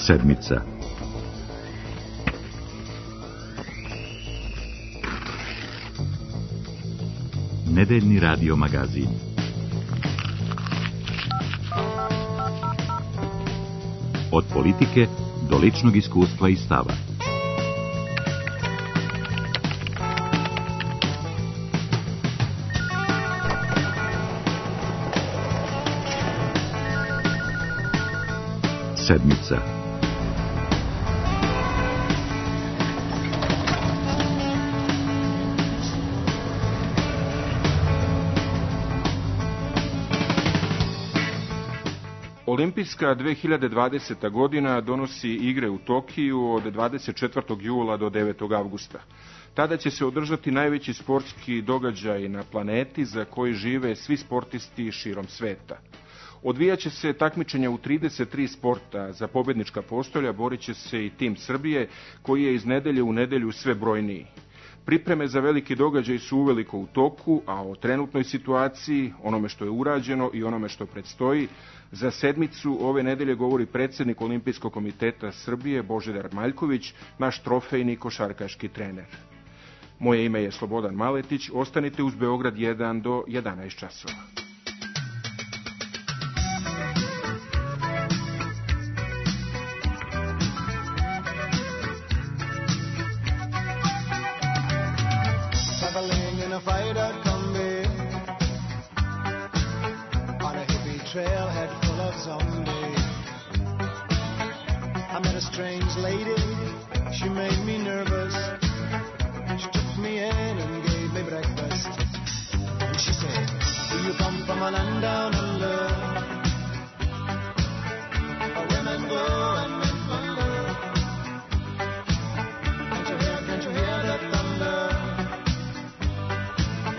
Sedmica. Nedeljni radio magazin. Od politike do ličnog iskustva i stava. Sedmica. Olimpijska 2020. godina donosi igre u Tokiju od 24. jula do 9. avgusta. Tada će se održati najveći sportski događaj na planeti za koji žive svi sportisti širom sveta. Odvijaće se takmičenja u 33 sporta. Za pobjednička postolja borit će se i tim Srbije, koji je iz nedelje u nedelju sve brojniji. Pripreme za veliki događaj su uveliko u toku, a o trenutnoj situaciji, onome što je urađeno i onome što predstoji, za sedmicu ove nedelje govori predsjednik Olimpijskog komiteta Srbije Božidar Maljković, naš trofejni košarkaški trener. Moje ime je Slobodan Maletić, ostanite uz Beograd 1 do 11 časova. Trailhead full of zombies. I met a strange lady, she made me nervous. She took me in and gave me breakfast. And she said, do you come from a land down under? Where women go and men wonder. Can't you hear the thunder?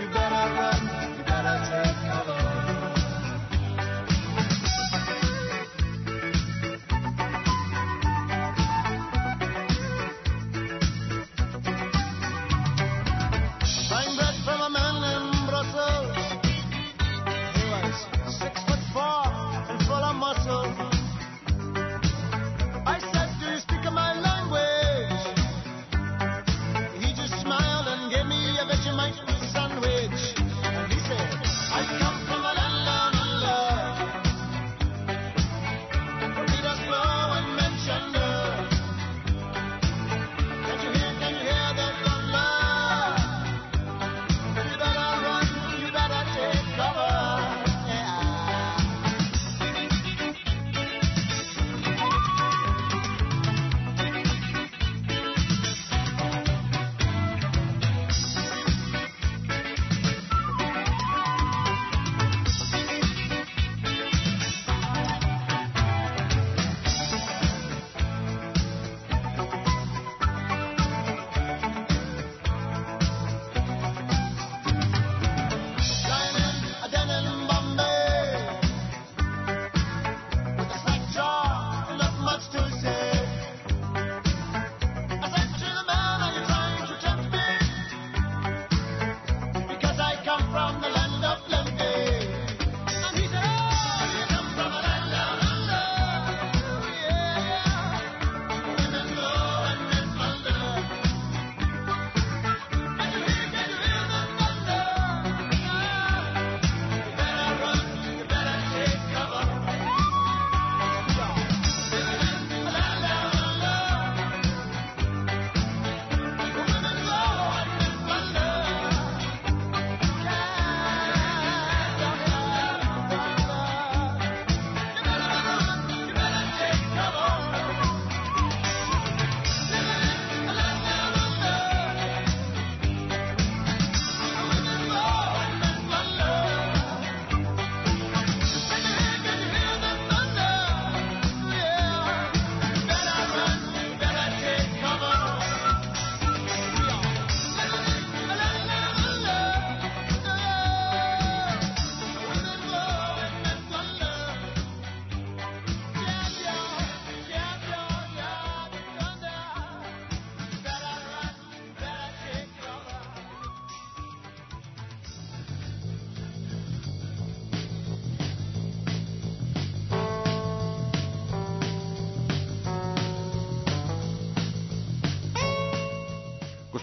You better run, you better take cover.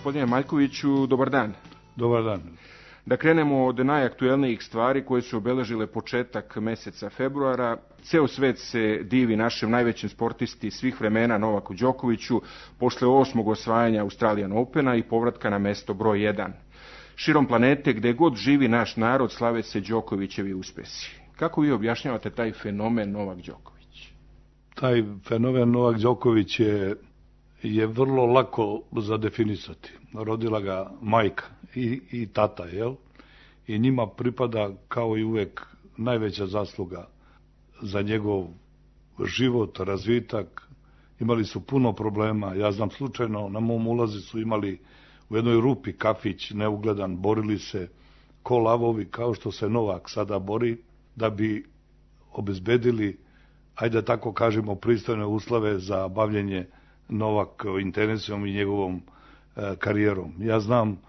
Gospodine Maljkoviću, dobar dan. Dobar dan. Da krenemo od najaktuelnijih stvari koje su obeležile početak meseca februara. Ceo svet se divi našem najvećem sportisti svih vremena Novaku Đokoviću posle 8. osvajanja Australian Opena i povratka na mesto broj 1. Širom planete, gde god živi naš narod, slave se Đokovićevi uspesi. Kako vi objašnjavate taj fenomen Novak Đoković? Taj fenomen Novak Đoković je vrlo lako za definisati. Rodila ga majka i tata, jel? I njima pripada kao i uvek najveća zasluga za njegov život, razvitak. Imali su puno problema. Ja znam slučajno, na mom ulazi su imali u jednoj rupi kafić, neugledan, borili se ko lavovi, kao što se Novak sada bori, da bi obezbedili, ajde tako kažemo, pristojne uslove za bavljenje Novakovim tenisom i njegovom karijerom. Ja znam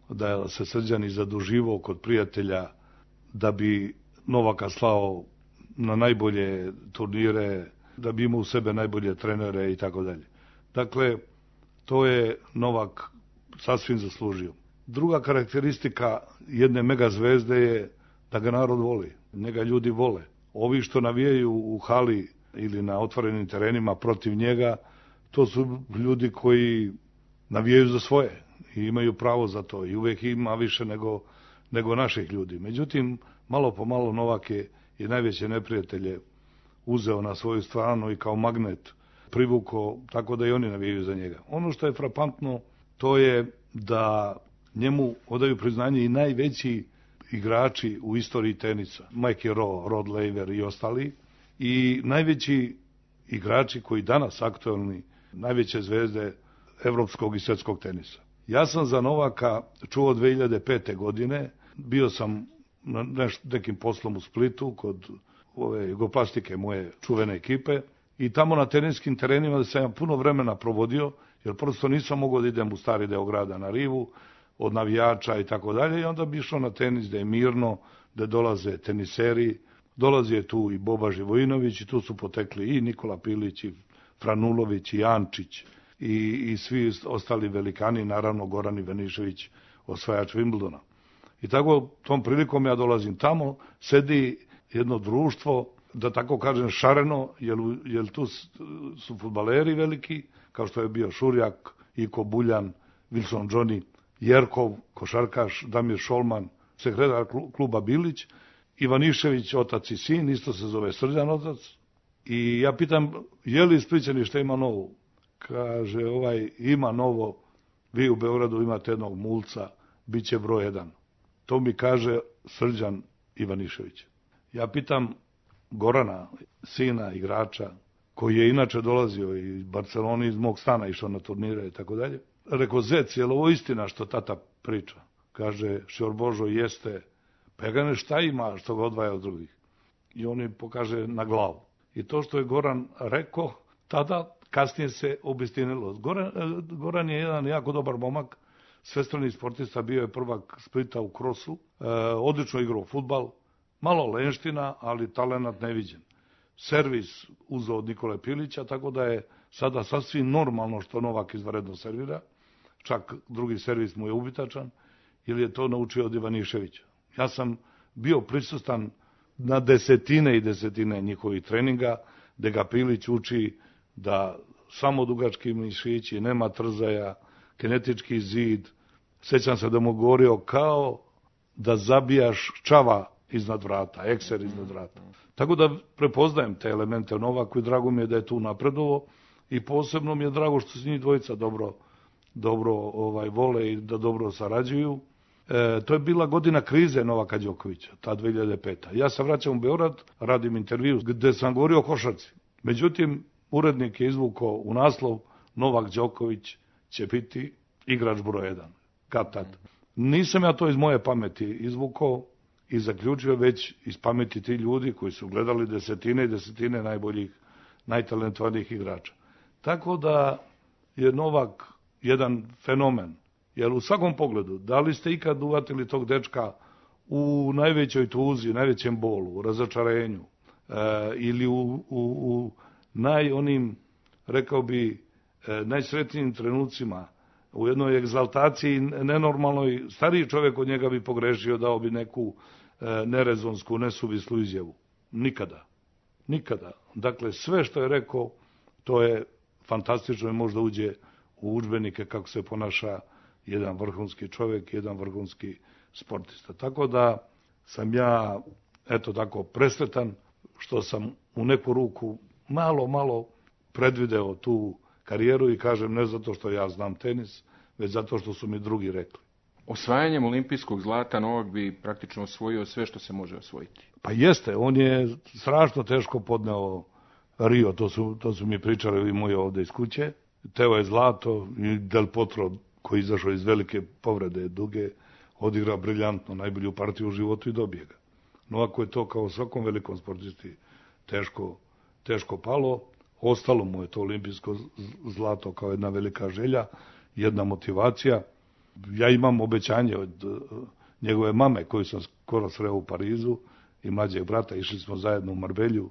da se Srđan i zaduživao kod prijatelja da bi Novaka slao na najbolje turnire, da bi imao u sebe najbolje trenere i tako dalje. Dakle, to je Novak sasvim zaslužio. Druga karakteristika jedne mega zvezde je da ga narod voli, njega ljudi vole. Ovi što navijaju u hali ili na otvorenim terenima protiv njega, to su ljudi koji navijaju za svoje i imaju pravo za to i uvek ima više nego naših ljudi. Međutim, malo po malo Novak je i najveće neprijatelje uzeo na svoju stranu i kao magnet privukao, tako da i oni navijaju za njega. Ono što je frapantno, to je da njemu odaju priznanje i najveći igrači u istoriji tenisa. Mikey Rowe, Rod Laver i ostali. I najveći igrači koji danas aktualni, najveće zvezde evropskog i svjetskog tenisa. Ja sam za Novaka čuo 2005. godine, bio sam na nekim poslom u Splitu kod ove jugoplastike moje čuvene ekipe i tamo na teniskim terenima da sam ja puno vremena provodio, jer prosto nisam mogao da idem u stari deo grada na rivu, od navijača i tako dalje, i onda bi išao na tenis da je mirno, da dolaze teniseri, dolazi je tu i Boba Živojinović i tu su potekli i Nikola Pilić i Franulović i Ančić i svi ostali velikani, naravno Goran Ivanišević, osvajač Wimbledona. I tako tom prilikom ja dolazim tamo, sedi jedno društvo, da tako kažem šareno, jer tu su fudbaleri veliki, kao što je bio Šurjak, Iko Buljan, Wilson Johnny, Jerkov, košarkaš, Damir Šolman, sekretar kluba Bilić, Ivanišević, otac i sin, isto se zove Srđan otac. I ja pitam, je li Splićani šta ima novo? Kaže, ima novo, vi u Beogradu imate jednog mulca, bit će broj 1. To mi kaže Srđan Ivanišević. Ja pitam Gorana, sina, igrača, koji je inače dolazio iz Barcelone, iz mog stana išao na turnire i tako dalje. Rekao, zec, je li ovo istina što tata priča? Kaže, Šior Božo, jeste. Pa ja gane, šta ima što ga odvaja od drugih? I on mi pokaže na glavu. I to što je Goran rekao, tada kasnije se obistinilo. Goran je jedan jako dobar momak, svestrani sportista, bio je prvak Splita u krosu, odlično igrao fudbal, malo lenština, ali talenat neviđen. Servis uzeo od Nikole Pilića, tako da je sada sasvim normalno što Novak izvanredno servira, čak drugi servis mu je ubitačan, ili je to naučio od Ivaniševića. Ja sam bio prisustan na desetine i desetine njihovih treninga, gde ga Pilić uči da samo dugački mišići, nema trzaja, kinetički zid. Sećam se da mu govorio kao da zabijaš čava iznad vrata, ekser iznad vrata. Tako da prepoznajem te elemente u Novaku i drago mi je da je tu napredovo i posebno mi je drago što se njih dvojica dobro vole i da dobro sarađuju. To je bila godina krize Novaka Đokovića, ta 2005. Ja se vraćam u Beograd, radim intervju gde sam govorio o košarci. Međutim, urednik je izvukao u naslov Novak Đoković će biti igrač broj 1. Kad tad. Nisam ja to iz moje pameti izvukao i zaključio, već iz pameti ti ljudi koji su gledali desetine i desetine najboljih, najtalentovanijih igrača. Tako da je Novak jedan fenomen. Jer u svakom pogledu, da li ste ikad uvatili tog dečka u najvećoj tuzi, najvećem bolu, u razočarenju, ili u onim, rekao bi, najsretnijim trenucima, u jednoj egzaltaciji nenormalnoj. Stariji čovjek od njega bi pogrešio, dao bi neku nerezonsku, nesuvislu izjavu. Nikada. Nikada. Dakle, sve što je rekao, to je fantastično i možda uđe u udžbenike kako se ponaša jedan vrhunski čovjek, jedan vrhunski sportista. Tako da sam ja, eto tako, presretan što sam u neku ruku malo predvideo tu karijeru i kažem ne zato što ja znam tenis, već zato što su mi drugi rekli. Osvajanjem olimpijskog zlata Novak bi praktično osvojio sve što se može osvojiti. Pa jeste, on je strašno teško podneo Rio, to su mi pričali i moji ovde iz kuće. Teo je zlato i Del Potro, koji izašao iz velike povrede duge, odigrao briljantno najbolju partiju u životu i dobije ga. No ako je to kao svakom velikom sportisti teško palo, ostalo mu je to olimpijsko zlato kao jedna velika želja, jedna motivacija. Ja imam obećanje od njegove mame koju sam skoro sreo u Parizu i mlađeg brata, išli smo zajedno u Marbelju,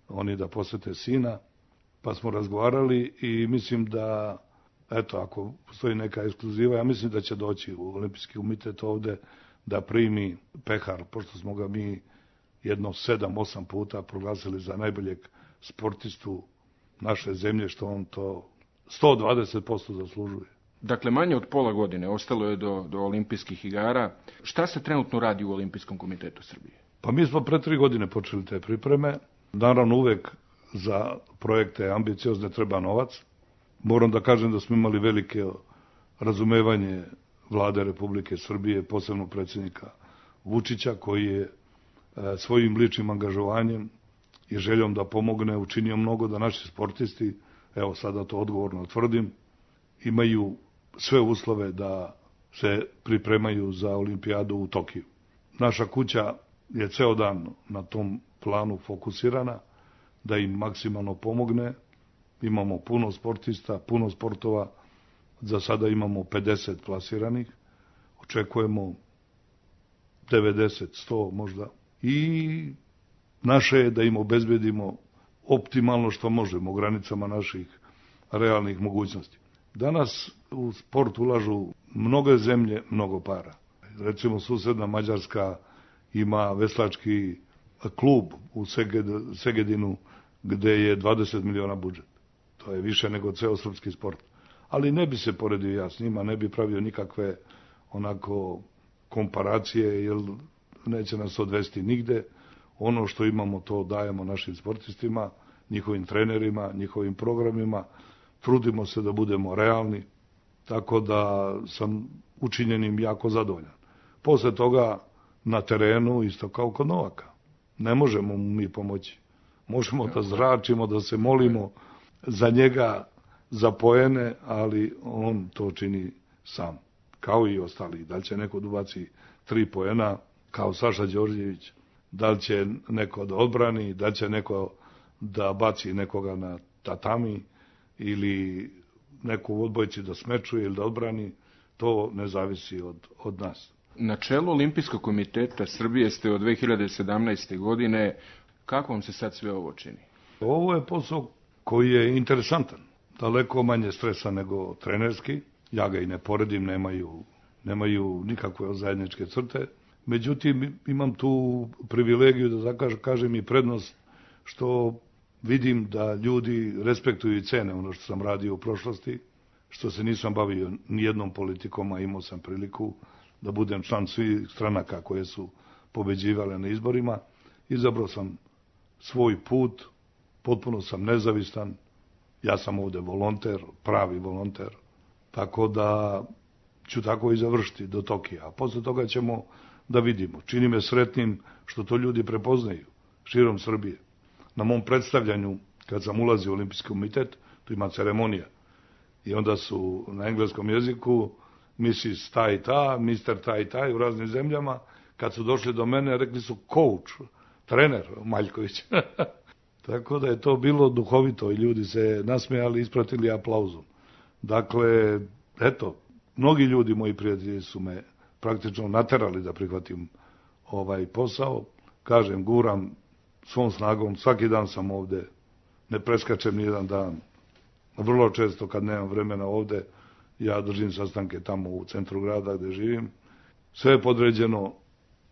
oni da posete sina, pa smo razgovarali i mislim da, eto, ako postoji neka ekskluziva, ja mislim da će doći u Olimpijski komitet ovde da primi pehar, pošto smo ga mi jedno 7-8 puta proglasili za najboljeg sportistu naše zemlje, što on to 120% zaslužuje. Dakle, manje od pola godine ostalo je do olimpijskih igara. Šta se trenutno radi u Olimpijskom komitetu Srbije? Pa mi smo pre 3 godine počeli te pripreme. Naravno, uvek za projekte ambiciozne treba novac. Moram da kažem da smo imali velike razumevanje Vlade Republike Srbije, posebno predsjednika Vučića, koji je svojim ličnim angažovanjem i željom da pomogne učinio mnogo da naši sportisti, evo sada to odgovorno tvrdim, imaju sve uslove da se pripremaju za olimpijadu u Tokiju. Naša kuća je ceo dan na tom planu fokusirana, da im maksimalno pomogne. Imamo puno sportista, puno sportova, za sada imamo 50 plasiranih, očekujemo 90, 100 možda. I naše je da im obezbedimo optimalno što možemo u granicama naših realnih mogućnosti. Danas u sport ulažu mnoge zemlje, mnogo para. Recimo, susedna Mađarska ima veslački klub u Segedinu gde je 20 miliona budžet. To je više nego ceo srpski sport. Ali ne bi se poredio ja s njima, ne bi pravio nikakve onako komparacije, jer neće nas odvesti nigde. Ono što imamo, to dajemo našim sportistima, njihovim trenerima, njihovim programima. Trudimo se da budemo realni, tako da sam učinjenim jako zadovoljan. Posle toga na terenu isto kao kod Novaka. Ne možemo mu mi pomoći. Možemo da zračimo, da se molimo za njega, za poene, ali on to čini sam, kao i ostali. Da li će neko da ubaci 3 poena, kao Saša Đorđević, da li će neko da odbrani, da li će neko da baci nekoga na tatami, ili neko u odbojci da smečuje ili da odbrani, to ne zavisi od nas. Na čelu Olimpijskog komiteta Srbije ste od 2017. godine. Kako vam se sad sve ovo čini? Ovo je posao koji je interesantan. Daleko manje stresa nego trenerski. Ja ga i ne poredim, nemaju nikakve zajedničke crte. Međutim, imam tu privilegiju da kažem i prednost što vidim da ljudi respektuju i cene ono što sam radio u prošlosti, što se nisam bavio nijednom politikom, a imao sam priliku da budem član svih stranaka koje su pobeđivale na izborima. Izabrao sam svoj put, potpuno sam nezavistan, ja sam ovde volonter, pravi volonter, tako da ću tako i završiti do Tokija. A posle toga ćemo da vidimo. Čini me sretnim što to ljudi prepoznaju širom Srbije. Na mom predstavljanju, kad sam ulazio u Olimpijski komitet, tu ima ceremonija. I onda su na engleskom jeziku Mrs. ta i ta, Mr. ta i ta u raznim zemljama. Kad su došli do mene, rekli su coach, trener Maljković. Tako da je to bilo duhovito i ljudi se nasmejali i ispratili aplauzom. Dakle, eto, mnogi ljudi, moji prijatelji, su me praktično naterali da prihvatim ovaj posao. Kažem, guram svom snagom, svaki dan sam ovde, ne preskačem nijedan dan. Vrlo često kad nemam vremena ovde, ja držim sastanke tamo u centru grada gde živim. Sve je podređeno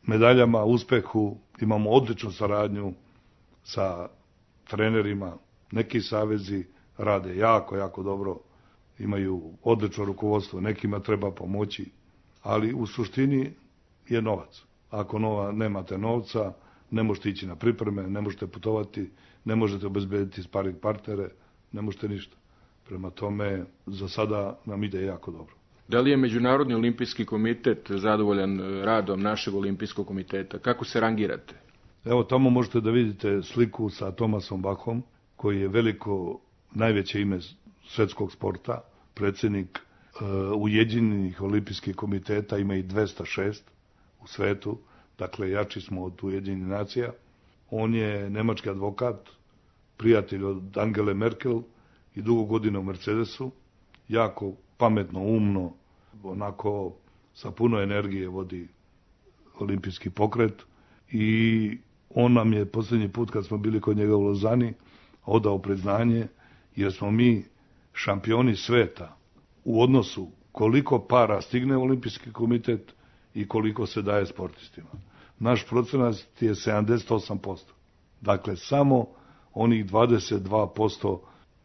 medaljama, uspehu, imamo odličnu saradnju sa trenerima, neki savezi rade jako dobro, imaju odlično rukovodstvo, nekima treba pomoći, ali u suštini je novac. Ako nemate novca, ne možete ići na pripreme, ne možete putovati, ne možete obezbediti sparing partnere, ne možete ništa. Prema tome, za sada nam ide jako dobro. Da li je Međunarodni olimpijski komitet zadovoljan radom našeg olimpijskog komiteta? Kako se rangirate? Evo, tamo možete da vidite sliku sa Thomasom Bachom, koji je veliko, najveće ime svetskog sporta, predsjednik Ujedinjenih olimpijskih komiteta, ima i 206 u svetu, dakle jači smo od Ujedinjenih nacija. On je nemački advokat, prijatelj od Angele Merkel i dugo godina u Mercedesu, jako pametno, umno, onako sa puno energije vodi olimpijski pokret i on nam je posljednji put kad smo bili kod njega u Lozani odao priznanje jer smo mi šampioni sveta u odnosu koliko para stigne u olimpijski komitet i koliko se daje sportistima. Naš procenat je 78%. Dakle, samo onih 22%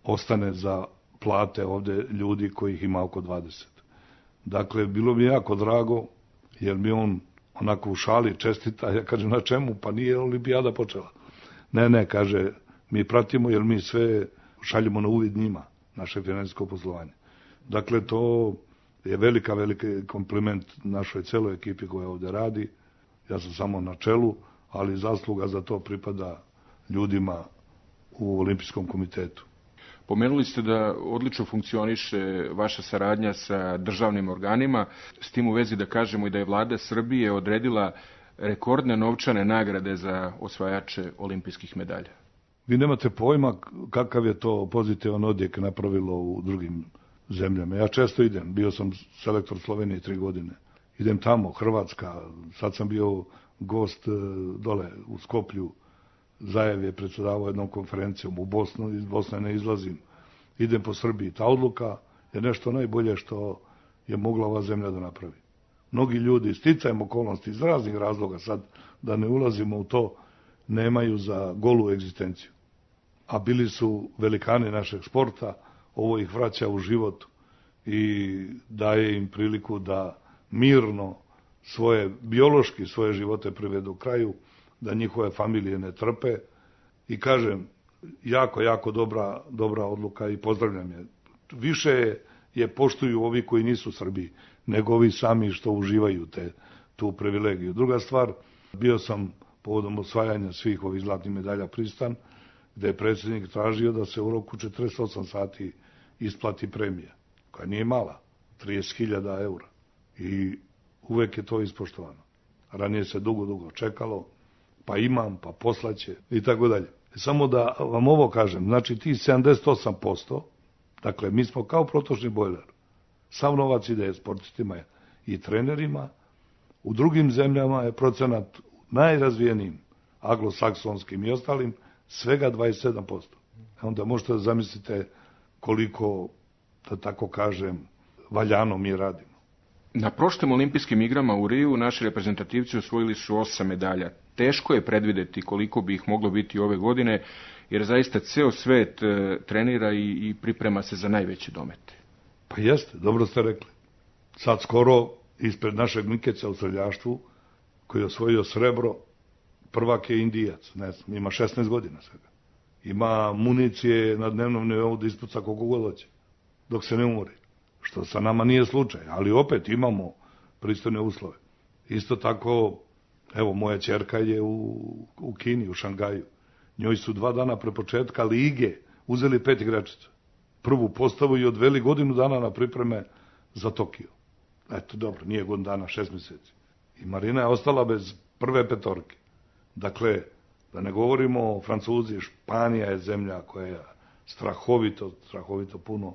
ostane za plate ovde ljudi kojih ima oko 20. Dakle, bilo mi jako drago, jer mi on onako u šali čestita, ja kažem na čemu, pa nije olimpijada počela. Ne, kaže, mi pratimo jer mi sve šaljemo na uvid njima, naše finansijsko poslovanje. Dakle, to je veliki kompliment našoj celoj ekipi koja ovde radi. Ja sam samo na čelu, ali zasluga za to pripada ljudima u Olimpijskom komitetu. Pomenuli ste da odlično funkcioniše vaša saradnja sa državnim organima, s tim u vezi da kažemo i da je vlada Srbije odredila rekordne novčane nagrade za osvajače olimpijskih medalja. Vi nemate pojma kakav je to pozitivan odjek napravilo u drugim zemljama. Ja često idem, bio sam selektor Slovenije 3 godine. Idem tamo, Hrvatska, sad sam bio gost dole u Skoplju, Zajev je predsedavao jednom konferencijom u Bosnu, iz Bosne ne izlazim, idem po Srbiji. Ta odluka je nešto najbolje što je mogla ova zemlja da napravi. Mnogi ljudi, sticajem okolnosti, iz raznih razloga, sad da ne ulazimo u to, nemaju za golu egzistenciju. A bili su velikani našeg sporta, ovo ih vraća u život i daje im priliku da mirno biološki svoje živote privedu kraju, da njihove familije ne trpe i kažem, jako dobra odluka i pozdravljam je. Više je poštuju ovi koji nisu Srbiji, nego ovi sami što uživaju tu privilegiju. Druga stvar, bio sam povodom osvajanja svih ovih zlatnih medalja pristan, gde je predsjednik tražio da se u roku 48 sati isplati premija, koja nije mala, 30.000 eura. I uvek je to ispoštovano. Ranije se dugo čekalo, pa imam, pa poslaće i tako dalje. Samo da vam ovo kažem, znači ti 78%, dakle mi smo kao protočni bojler, sav novac ide sportistima i trenerima, u drugim zemljama je procenat najrazvijenijim, anglosaksonskim i ostalim, svega 27%. Onda možete da zamislite koliko, da tako kažem, valjano mi radimo. Na prošlim olimpijskim igrama u Riju naši reprezentativci osvojili su 8 medalja. Teško je predvideti koliko bi ih moglo biti ove godine, jer zaista ceo svet trenira i priprema se za najveće domete. Pa jeste, dobro ste rekli. Sad skoro ispred našeg Mikeća u streljaštvu, koji je osvojio srebro, prvak je Indijac, ne znam, ima 16 godina svega. Ima municije na dnevnom nivou da ispuca koliko god hoće, dok se ne umori. Što sa nama nije slučaj, ali opet imamo pristojne uslove. Isto tako, evo, moja ćerka je u Kini, u Šangaju. Njoj su 2 dana pre početka lige uzeli 5 igračica. Prvu postavu i odveli godinu dana na pripreme za Tokio. Eto, dobro, nije godinu dana, 6 meseci. I Marina je ostala bez prve petorke. Dakle, da ne govorimo o Francuzi, Španija je zemlja koja je strahovito puno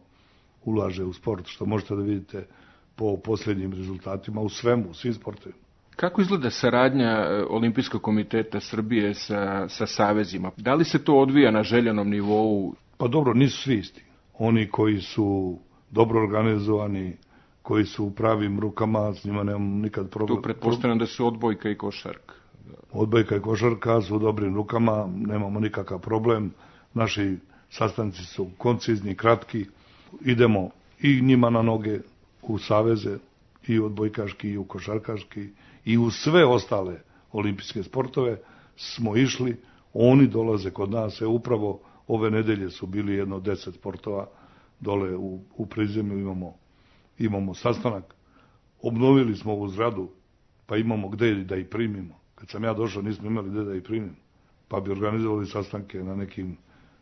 ulaže u sport, što možete da vidite po posljednjim rezultatima u svemu, u svim sportovima. Kako izgleda saradnja Olimpijskog komiteta Srbije sa savezima? Da li se to odvija na željenom nivou? Pa dobro, nisu svi isti. Oni koji su dobro organizovani, koji su u pravim rukama, s njima nemam nikad problem. Tu pretpostavljam da su odbojka i košarka. Odbojka i košarka su u dobrim rukama, nemamo nikakav problem. Naši sastanci su koncizni, kratki. Idemo i njima na noge u saveze, i u odbojkaški, i u košarkaški, i u sve ostale olimpijske sportove smo išli. Oni dolaze kod nas, upravo ove nedelje su bili jedno 10 sportova dole u prizemlju, imamo sastanak. Obnovili smo ovu zgradu, pa imamo gde da ih primimo. Kad sam ja došao, nismo imali gde da ih primimo, pa bi organizovali sastanke na nekim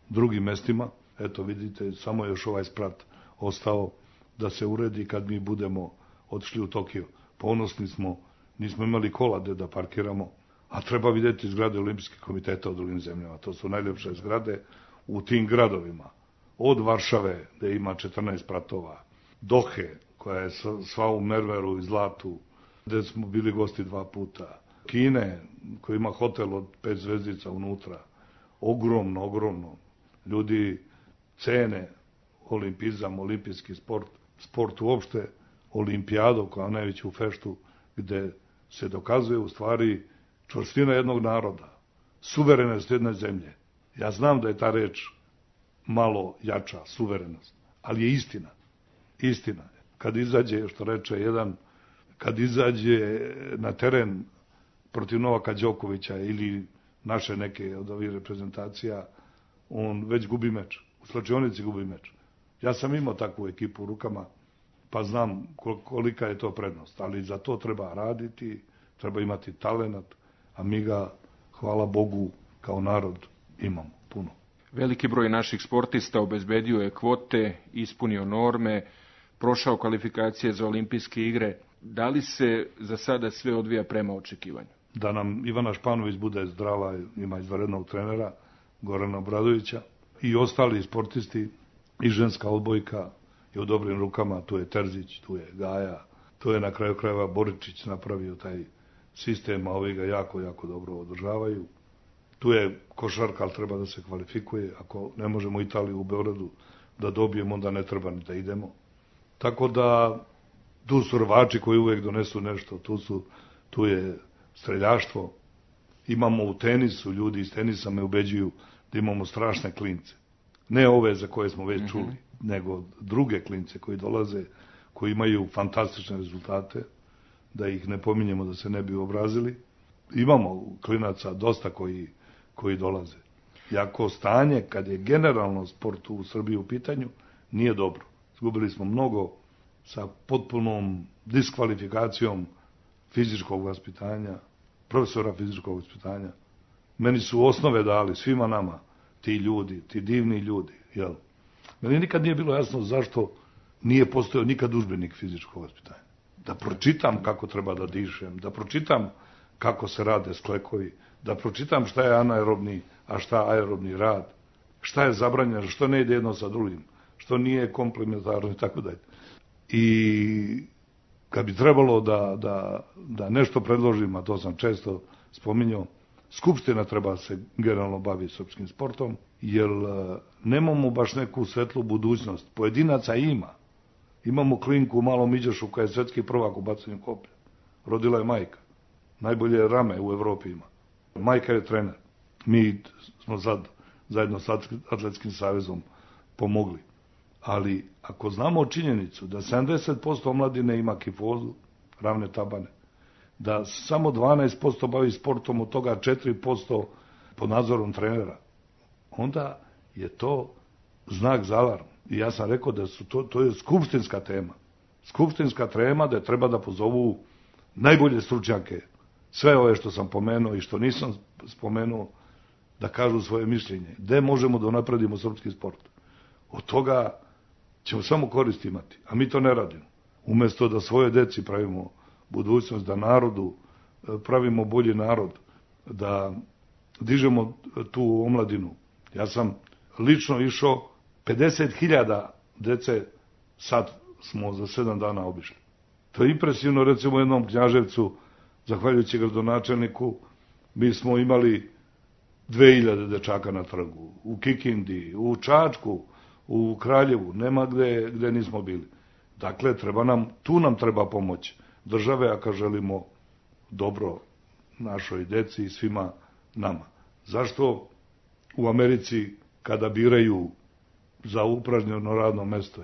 drugim mestima. Eto, vidite, samo još ovaj sprat ostao da se uredi kad mi budemo otišli u Tokio. Ponosni smo, nismo imali kola gde da parkiramo, a treba vidjeti zgrade Olimpijskih komiteta u drugim zemljama. To su najljepše zgrade u tim gradovima. Od Varšave, gde ima 14 spratova, Dohe, koja je sva u mermeru i zlatu, gde smo bili gosti 2 puta, Kine, koji ima hotel od 5 zvezdica unutra, ogromno. Ljudi cene olimpizam, olimpijski sport uopšte, olimpijadu koja je najveću feštu, gde se dokazuje u stvari čvrstina jednog naroda, suverenost jedne zemlje. Ja znam da je ta reč malo jača, suverenost, ali je istina. Istina. Kad izađe, što reče jedan, kad izađe na teren protiv Novaka Đokovića ili naše neke od ovih reprezentacija, on već gubi meč. U slačionici gubi meč. Ja sam imao takvu ekipu u rukama, pa znam kolika je to prednost. Ali za to treba raditi, treba imati talenat, a mi ga, hvala Bogu, kao narod imamo puno. Veliki broj naših sportista obezbedio je kvote, ispunio norme, prošao kvalifikacije za olimpijske igre. Da li se za sada sve odvija prema očekivanju? Da nam Ivana Španović bude zdrava, ima izvanrednog trenera, Gorana Obradovića, i ostali sportisti, i ženska odbojka je u dobrim rukama, tu je Terzić, tu je Gaja, tu je na kraju krajeva Boričić napravio taj sistem, a ovi ga jako dobro održavaju. Tu je košarka, ali treba da se kvalifikuje. Ako ne možemo Italiju u Beogradu da dobijemo, onda ne treba ni da idemo. Tako da, tu su rvači koji uvek donesu nešto, tu je streljaštvo. Imamo u tenisu, ljudi iz tenisa me ubeđuju da imamo strašne klince. Ne ove za koje smo već čuli, nego druge klince koji dolaze, koji imaju fantastične rezultate, da ih ne pominjemo da se ne bi obrazili. Imamo klinaca dosta koji dolaze. Jako stanje, kad je generalno sport u Srbiji u pitanju, nije dobro. Izgubili smo mnogo sa potpunom diskvalifikacijom fizičkog vaspitanja, profesora fizičkog vaspitanja. Meni su osnove dali, svima nama, ti ljudi, ti divni ljudi. Jel? Meni nikad nije bilo jasno zašto nije postojao nikad udžbenik fizičkog vaspitanja. Da pročitam kako treba da dišem, da pročitam kako se rade sklekovi, da pročitam šta je anaerobni, a šta aerobni rad, šta je zabranjeno, što ne ide jedno sa drugim, što nije komplementarno i tako dalje. I kad bi trebalo da nešto predložim, a to sam često spominjao, Skupština treba se generalno baviti srpskim sportom, jer nemamo baš neku svetlu budućnost. Pojedinaca ima. Imamo klinku u Malom Iđošu koja je svetski prvak u bacanju koplja. Rodila je majka. Najbolje rame u Evropi ima. Majka je trener. Mi smo sad zajedno sa Atletskim savezom pomogli. Ali ako znamo činjenicu da 70% omladine ima kifozu, ravne tabane, da samo 12% bavi sportom, od toga 4% pod nadzorom trenera, onda je to znak za alarm. I ja sam rekao da to je skupštinska tema. Skupštinska tema da treba da pozovu najbolje stručnjake, sve ove što sam pomenuo i što nisam spomenuo, da kažu svoje mišljenje. Gde možemo da napredimo srpski sport? Od toga ćemo samo korist imati, a mi to ne radimo. Umesto da svoje deci pravimo budućnost, da narodu pravimo bolji narod, da dižemo tu omladinu. Ja sam lično išao 50.000 dece, sad smo za 7 dana obišli. To je impresivno, recimo u jednom Knjaževcu, zahvaljujući gradonačelniku, mi smo imali 2000 dečaka na trgu, u Kikindi, u Čačku, u Kraljevu, nema gde nismo bili. Dakle, tu nam treba pomoć države, ako želimo dobro našoj deci i svima nama. Zašto u Americi kada biraju za upražnjeno radno mesto,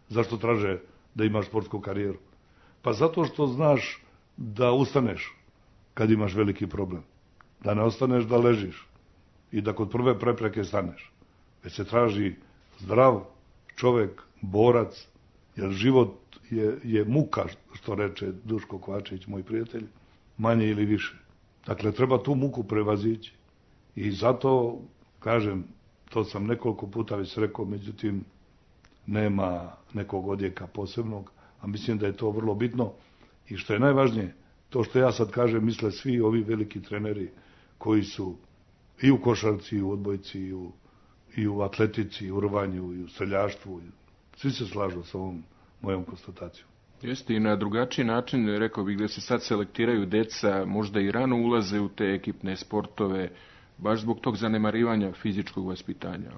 zašto traže da imaš sportsku karijeru? Pa zato što znaš da ustaneš kad imaš veliki problem. Da ne ostaneš da ležiš i da kod prve prepreke staneš. Već se traži zdrav čovek, borac, jer život je muka, što reče Duško Kovačević, moj prijatelj, manje ili više. Dakle, treba tu muku prevazići. I zato, kažem, to sam nekoliko puta već rekao, međutim, nema nekog odjeka posebnog, a mislim da je to vrlo bitno. I što je najvažnije, to što ja sad kažem, misle svi ovi veliki treneri koji su i u košarci, i u odbojci, i u atletici, i u rvanju, i u streljaštvu. Svi se slažu sa ovom mojom konstatacijom. Jeste, i na drugačiji način, rekao bih, da se sad selektiraju deca, možda i rano ulaze u te ekipne sportove, baš zbog tog zanemarivanja fizičkog vaspitanja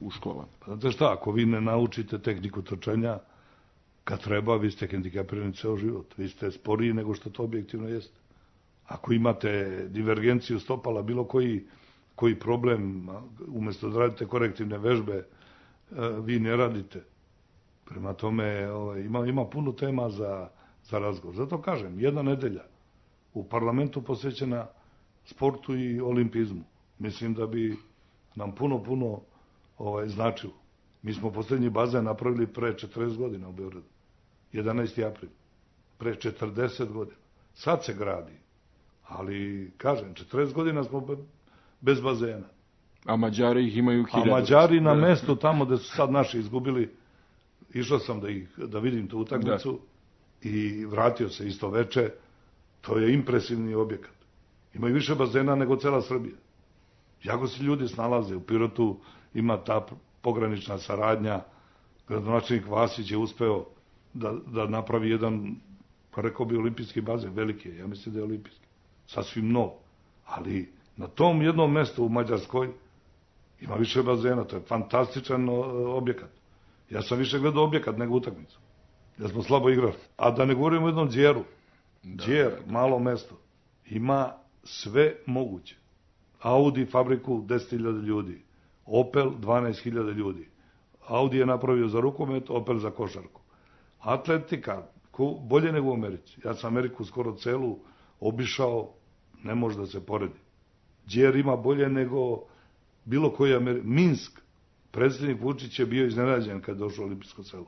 u školama. Pa znate šta, ako vi ne naučite tehniku trčanja, kad treba, vi ste hendikapirani ceo život. Vi ste sporiji nego što to objektivno jeste. Ako imate divergenciju stopala, bilo koji problem, umjesto da radite korektivne vežbe, vi ne radite. Prema tome, ima puno tema za razgovor. Zato kažem, jedna nedelja u parlamentu posvećena sportu i olimpizmu. Mislim da bi nam puno značilo. Mi smo posljednji bazen napravili pre 40 godina u Beogradu. 11. april. Pre 40 godina. Sad se gradi. Ali, kažem, 40 godina smo bez bazena. A Mađari ih imaju 1000. A Mađari na mestu tamo gde su sad naši izgubili, išao sam da vidim tu utakmicu i vratio se isto veče. To je impresivni objekat. Imaju više bazena nego cela Srbija. Jako se ljudi snalaze. U Pirotu ima ta pogranična saradnja. Gradonačelnik Vasić je uspeo da napravi jedan, pa rekao bi, olimpijski bazen. Veliki je, ja mislim da je olimpijski. Sasvim nov. Ali na tom jednom mestu u Mađarskoj ima više bazena. To je fantastičan objekat. Ja sam više gledao objekat nego utakmicu. Ja smo slabo igrali. A da ne govorimo o jednom Đeru. Đer, malo mesto. Ima sve moguće. Audi fabriku 10.000 ljudi. Opel 12.000 ljudi. Audi je napravio za rukomet, Opel za košarku. Atletika, bolje nego u Americi. Ja sam Ameriku skoro celu obišao, ne može da se poredi. Đer ima bolje nego bilo koji Minsk. Predsjednik Vučić je bio iznenađen kad je došao u olimpijsko selo.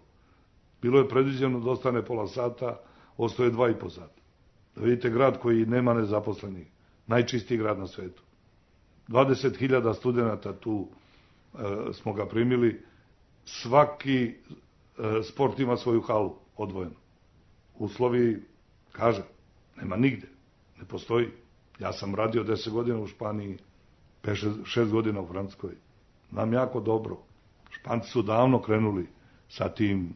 Bilo je predviđeno da ostane pola sata, ostaje 2,5 sata. Da vidite grad koji nema nezaposlenih. Najčistiji grad na svetu. 20.000 studenta tu smo ga primili. Svaki sport ima svoju halu odvojenu. Uslovi, kažem, nema nigde. Ne postoji. Ja sam radio 10 godina u Španiji, 6 godina u Francuskoj. Nam jako dobro. Španci su davno krenuli sa tim,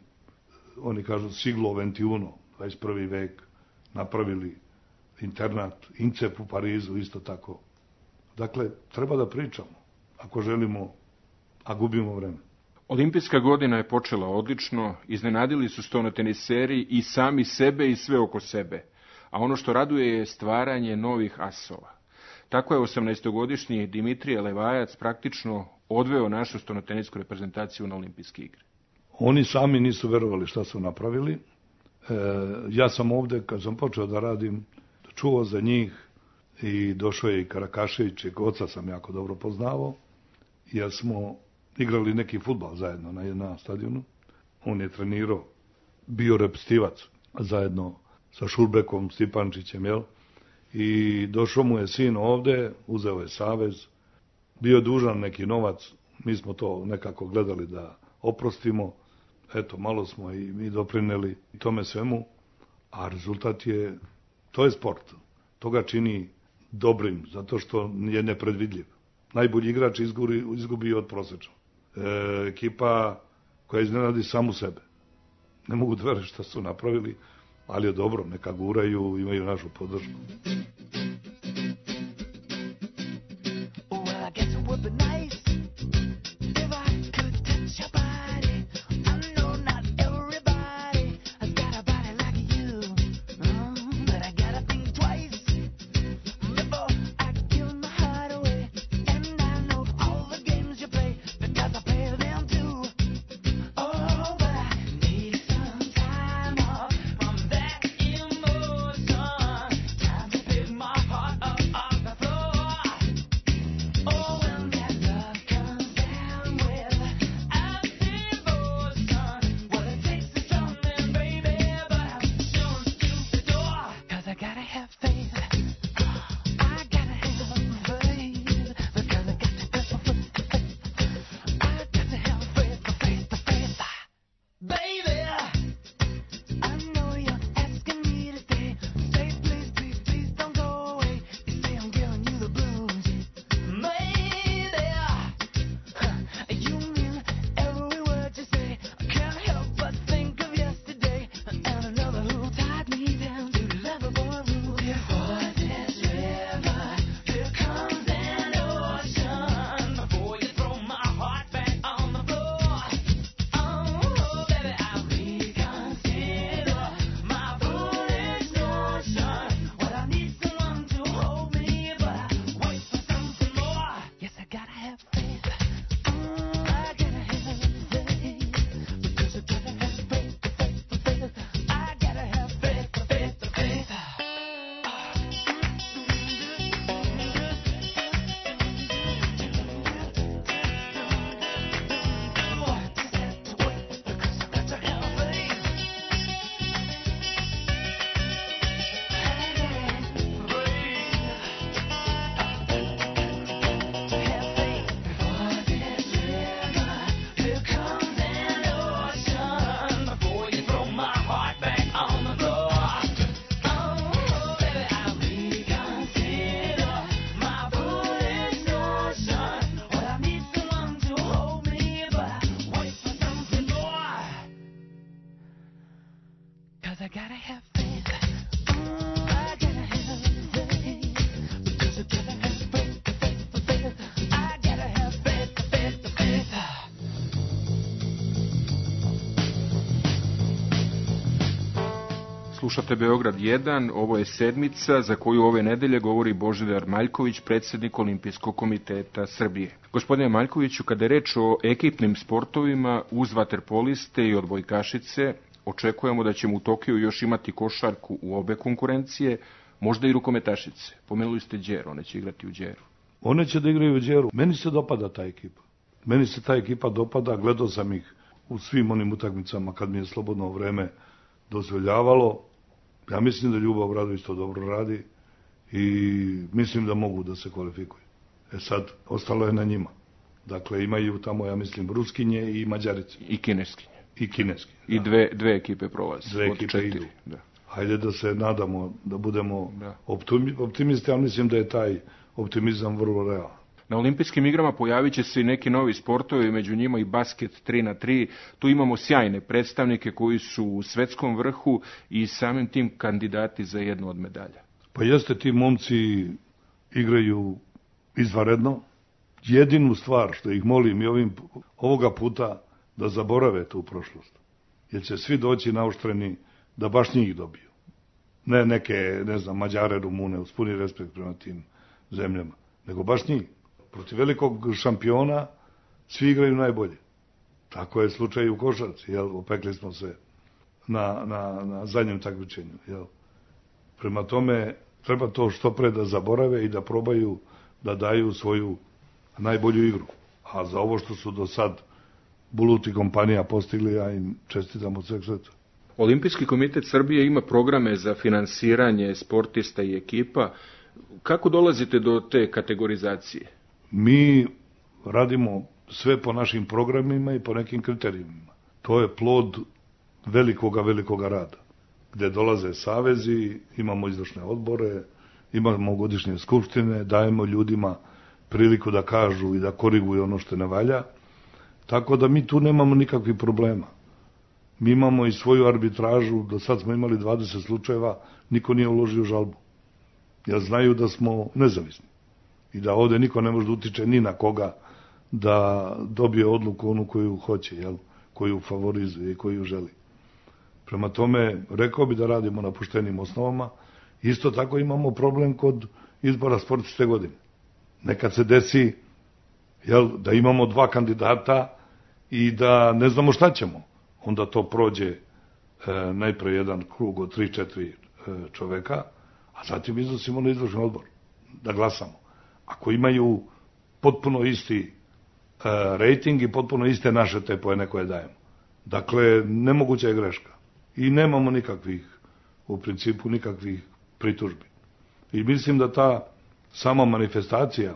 oni kažu siglo XXI, 21. vek, napravili internat, INCEP u Parizu, isto tako. Dakle, treba da pričamo, ako želimo, a gubimo vreme. Olimpijska godina je počela odlično, iznenadili su stonoteniseri i sami sebe i sve oko sebe, a ono što raduje je stvaranje novih asova. Tako je 18-godišnji Dimitrije Levajac praktično odveo našu stonotenisku reprezentaciju na olimpijske igre. Oni sami nisu verovali šta su napravili. Ja sam ovde, kad sam počeo da radim, čuo za njih i došao je i Karakašević, i oca sam jako dobro poznavao, jer smo igrali neki fudbal zajedno na stadionu. On je trenirao, bio repstivac zajedno sa Šurbekom, Stipančićem, i došao mu je sin ovde, uzeo je savez, bio dužan neki novac, mi smo to nekako gledali da oprostimo, eto, malo smo i mi doprineli tome svemu, a rezultat je, to je sport, to ga čini dobrim, zato što je nepredvidljiv. Najbolji igrač izgubi od prosečnog. Ekipa koja iznenadi samu sebe. Ne mogu da verujem šta su napravili, ali je dobro, neka guraju, imaju našu podršku. Well, I guess it would be nice if I could touch your body. Slušate Beograd 1, ovo je sedmica za koju ove nedelje govori Božidar Maljković, predsjednik Olimpijskog komiteta Srbije. Gospodine Maljkoviću, kada je reč o ekipnim sportovima, uz vaterpoliste i odbojkašice, očekujemo da ćemo u Tokiju još imati košarku u obe konkurencije, možda i rukometašice. Pomenuli ste Đeru, one će igrati u Đeru. One će da igraju u Đeru. Meni se dopada ta ekipa. Meni se ta ekipa dopada, gledao sam ih u svim onim utakmicama kad mi je slobodno vreme dozvoljavalo. Ja mislim da Ljubav Obradović to dobro radi i mislim da mogu da se kvalifikuju. Sad, ostalo je na njima. Dakle, imaju tamo, ja mislim, Ruskinje i Mađarice. I Kineskinje. I Kineskinje. I dve ekipe prolaze. Dve ekipe idu. Da. Hajde da se nadamo, da budemo optimisti, ali mislim da je taj optimizam vrlo realan. Na olimpijskim igrama pojavit će se i neki novi sportovi, među njima i basket 3x3. Tu imamo sjajne predstavnike koji su u svetskom vrhu i samim tim kandidati za jednu od medalja. Pa jeste, ti momci igraju izvanredno. Jedinu stvar što ih molim i ovoga puta da zaborave tu prošlost. Jer će svi doći naoštreni da baš njih dobiju. Ne neke, ne znam, Mađare, Rumune, uz puni respekt prema tim zemljama, nego baš njih. Protiv velikog šampiona svi igraju najbolje. Tako je slučaj u košarci, jel? Opekli smo se na zadnjem takmičenju, jel? Prema tome, treba to što pre da zaborave i da probaju da daju svoju najbolju igru. A za ovo što su do sad Bulut i kompanija postigli, ja im čestitam od sveg srca. Olimpijski komitet Srbije ima programe za finansiranje sportista i ekipa. Kako dolazite do te kategorizacije? Mi radimo sve po našim programima i po nekim kriterijima. To je plod velikoga rada. Gde dolaze savezi, imamo izvršne odbore, imamo godišnje skupštine, dajemo ljudima priliku da kažu i da koriguju ono što ne valja. Tako da mi tu nemamo nikakvih problema. Mi imamo i svoju arbitražu, do sad smo imali 20 slučajeva, niko nije uložio žalbu. Jer znaju da smo nezavisni. I da ovde niko ne može da utiče ni na koga da dobije odluku onu koju hoće, jel? Koju favorizuje i koju želi. Prema tome, rekao bi da radimo na poštenim osnovama. Isto tako imamo problem kod izbora sportiste godine. Nekad se desi, jel, da imamo 2 kandidata i da ne znamo šta ćemo. Onda to prođe najpre jedan krug od 3-4 čoveka, a zatim iznosimo na izvršni odbor da glasamo. Ako imaju potpuno isti rejting i potpuno iste naše te poene koje dajemo. Dakle, nemoguća je greška. I nemamo u principu nikakvih pritužbi. I mislim da ta sama manifestacija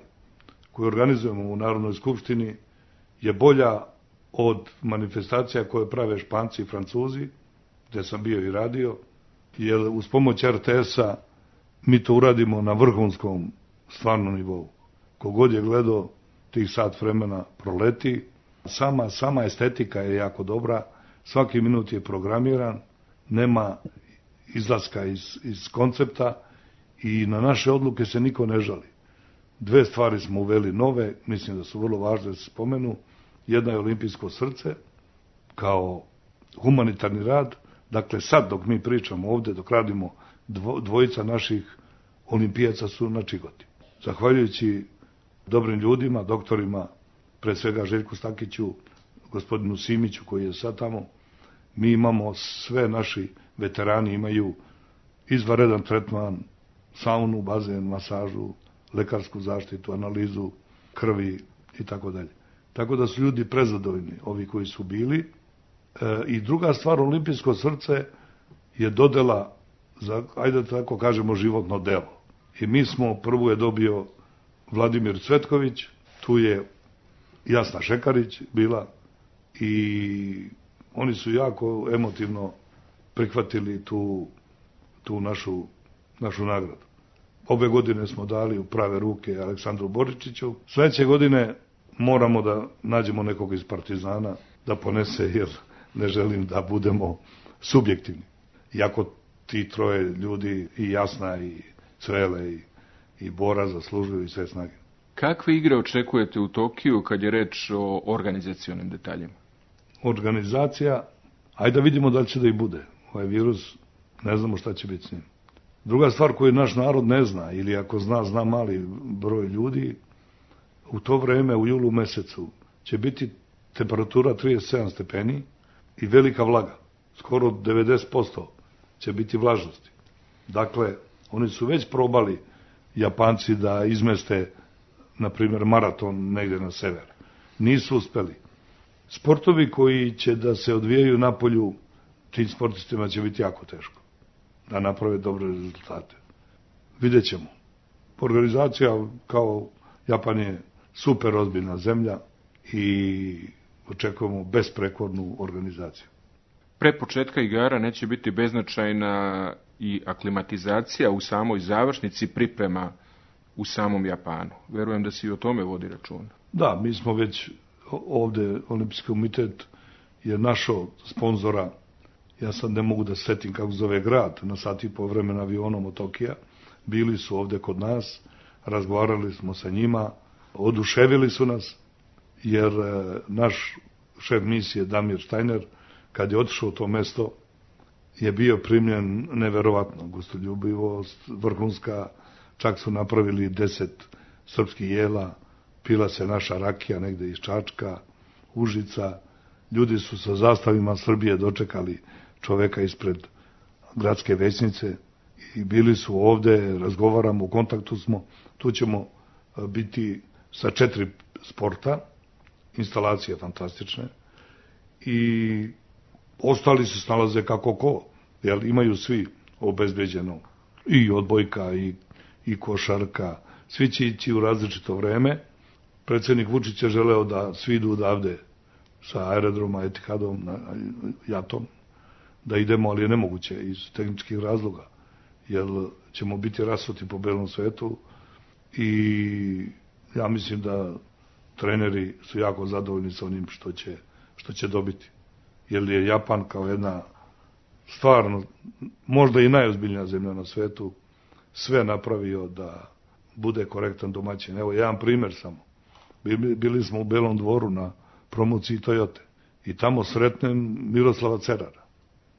koju organizujemo u Narodnoj skupštini je bolja od manifestacija koje prave Španci i Francuzi, gde sam bio i radio, jer uz pomoć RTS-a mi to uradimo na vrhunskom stvarnom nivou. Kogod je gledao tih sat vremena proleti, sama estetika je jako dobra, svaki minut je programiran, nema izlaska iz koncepta i na naše odluke se niko ne žali. 2 stvari smo uveli nove, mislim da su vrlo važne da se spomenu. Jedna je olimpijsko srce, kao humanitarni rad. Dakle, sad dok mi pričamo ovde, dok radimo, dvojica naših olimpijaca su na Čigoti. Zahvaljujući dobrim ljudima, doktorima, pre svega Željku Stakiću, gospodinu Simiću koji je sad tamo, mi imamo, sve naši veterani imaju izvanredan tretman, saunu, bazen, masažu, lekarsku zaštitu, analizu krvi i tako dalje. Tako da su ljudi prezadovoljni, ovi koji su bili. I druga stvar, olimpijsko srce je dodela za, ajde tako kažemo, životno delo. I mi smo, prvu je dobio Vladimir Cvetković, tu je Jasna Šekarić bila i oni su jako emotivno prihvatili tu našu nagradu. Ove godine smo dali u prave ruke Aleksandru Boričiću. Sledeće godine moramo da nađemo nekog iz Partizana da ponese, jer ne želim da budemo subjektivni. Iako ti troje ljudi, i Jasna, i Cvele, i Bora, zaslužuju i sve snage. Kakve igre očekujete u Tokiju kad je reč o organizacionim detaljima? Organizacija, ajde da vidimo da li će da i bude. Ovaj virus Ne znamo šta će biti s njim. Druga stvar koju naš narod ne zna, ili ako zna, zna mali broj ljudi, u to vreme, u julu mesecu, će biti temperatura 37 stepeni i velika vlaga. Skoro 90% će biti vlažnosti. Dakle, oni su već probali, Japanci, da izmeste, na primjer, maraton negde na sever. Nisu uspeli. Sportovi koji će da se odvijaju napolju, tim sportistima će biti jako teško da naprave dobre rezultate. Vidjet ćemo. Organizacija, kao Japan je super ozbiljna zemlja i očekujemo besprekornu organizaciju. Pre početka igara neće biti beznačajna i aklimatizacija u samoj završnici priprema u samom Japanu. Verujem da se i o tome vodi računa. Da, mi smo već ovde, Olimpijski komitet je našao sponzora. Ja sad ne mogu da setim kako zove grad, na sat i po vremena avionom od Tokija. Bili su ovde kod nas, razgovarali smo sa njima, oduševili su nas, jer naš šef misije Damir Štajner, kad je otišao u to mesto, je bio primljen neverovatno, gostoljubivost, vrhunska, čak su napravili 10 srpskih jela, pila se naša rakija negde iz Čačka, Užica, ljudi su sa zastavima Srbije dočekali čoveka ispred gradske većnice i bili su ovde, razgovaramo, u kontaktu smo, tu ćemo biti sa 4 sporta, instalacije fantastične i ostali se snalaze kako ko, jer imaju svi obezbeđeno i odbojka i košarka, svi će ići u različito vreme. Predsjednik Vučić je želeo da svi idu odavde sa aerodroma Etihadom, jatom, da idemo, ali je nemoguće iz tehničkih razloga, jer ćemo biti rasuti po belom svetu i ja mislim da treneri su jako zadovoljni sa onim što će dobiti. Jer je Japan kao jedna stvarno, možda i najozbiljnija zemlja na svetu, sve napravio da bude korektan domaćin. Evo, jedan primjer samo. Bili smo u Belom dvoru na promociji Toyote i tamo sretnem Miroslava Cerara,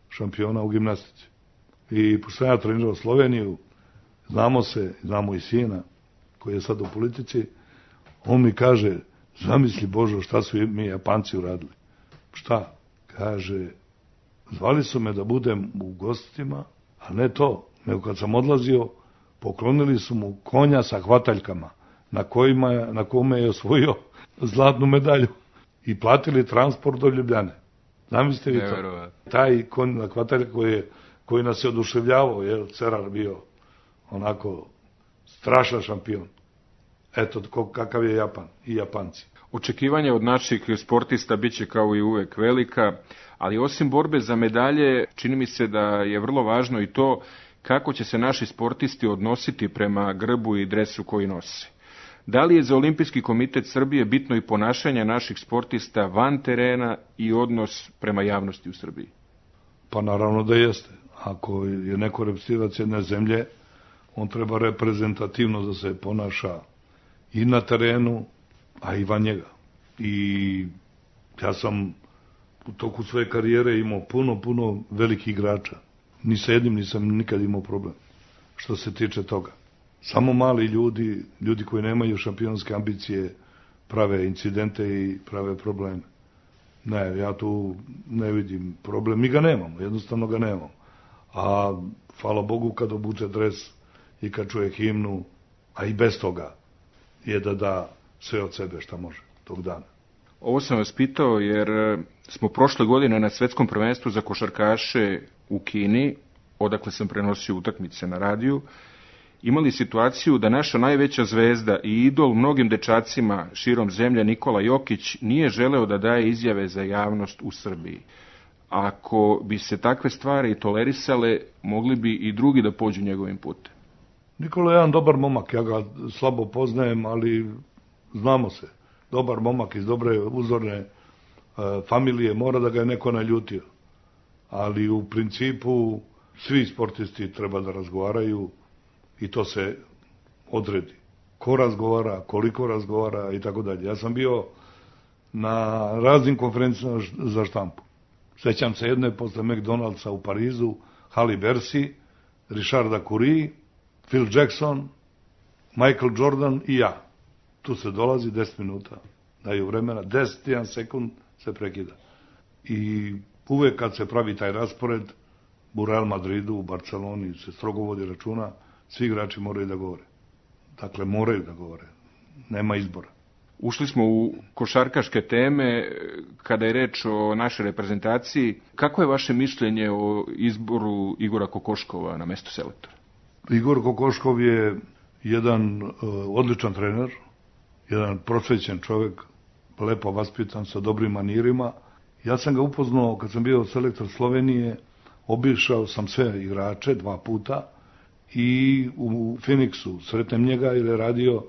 šampiona u gimnastici. I pošto ja trenirao Sloveniju, znamo i sina koji je sad u politici, on mi kaže, zamisli Božo šta su mi Japanci uradili. Šta? Kaže, zvali su me da budem u gostima, a ne to, nego kad sam odlazio, poklonili su mu konja sa hvataljkama, na kome je osvojio zlatnu medalju i platili transport do Ljubljane. Zamislite vi to? Taj konj na hvataljka koji nas je oduševljavao, je Cerar bio onako strašan šampion. Eto, kakav je Japan i Japanci. Očekivanja od naših sportista bit će kao i uvek velika, ali osim borbe za medalje, čini mi se da je vrlo važno i to kako će se naši sportisti odnositi prema grbu i dresu koji nose. Da li je za Olimpijski komitet Srbije bitno i ponašanje naših sportista van terena i odnos prema javnosti u Srbiji? Pa naravno da jeste. Ako je neko reprezentativac jedne zemlje, on treba reprezentativno da se ponaša i na terenu, a i van njega. I ja sam u toku svoje karijere imao puno velikih igrača. Ni sa jednim nisam nikad imao problem što se tiče toga. Samo mali ljudi koji nemaju šampionske ambicije, prave incidente i prave probleme. Ne, ja tu ne vidim problem. Mi ga nemamo, jednostavno ga nemamo. A hvala Bogu kad obuče dres i kad čuje himnu, a i bez toga je da sve od sebe šta može tog dana. Ovo sam vas pitao jer smo prošle godine na svetskom prvenstvu za košarkaše u Kini, odakle sam prenosio utakmice na radiju, imali situaciju da naša najveća zvezda i idol mnogim dečacima širom zemlje Nikola Jokić nije želeo da daje izjave za javnost u Srbiji. Ako bi se takve stvari tolerisale, mogli bi i drugi da pođu njegovim putem. Nikola je jedan dobar momak, ja ga slabo poznajem, ali znamo se. Dobar momak iz dobre uzorne familije, mora da ga je neko naljutio. Ali u principu svi sportisti treba da razgovaraju i to se odredi. Ko razgovara, koliko razgovara i tako dalje. Ja sam bio na raznim konferencijama za štampu. Sećam se jedne posle McDonald'sa u Parizu, Halle Bercy, Richarda Curie, Phil Jackson, Michael Jordan i ja. Tu se dolazi 10 minuta, daju vremena, 10 sekund se prekida. I uvek kad se pravi taj raspored, u Real Madridu, u Barceloni se strogo vodi računa, svi igrači moraju da govore. Dakle, moraju da govore. Nema izbora. Ušli smo u košarkaške teme kada je reč o našoj reprezentaciji. Kako je vaše mišljenje o izboru Igora Kokoškova na mesto selektora? Igor Kokoškov je jedan odličan trener, jedan prosvećen čovjek, lepo vaspitan, sa dobrim manirima. Ja sam ga upoznao kad sam bio selektor Slovenije, obišao sam sve igrače 2 puta i u Phoenixu sretnem njega jer je radio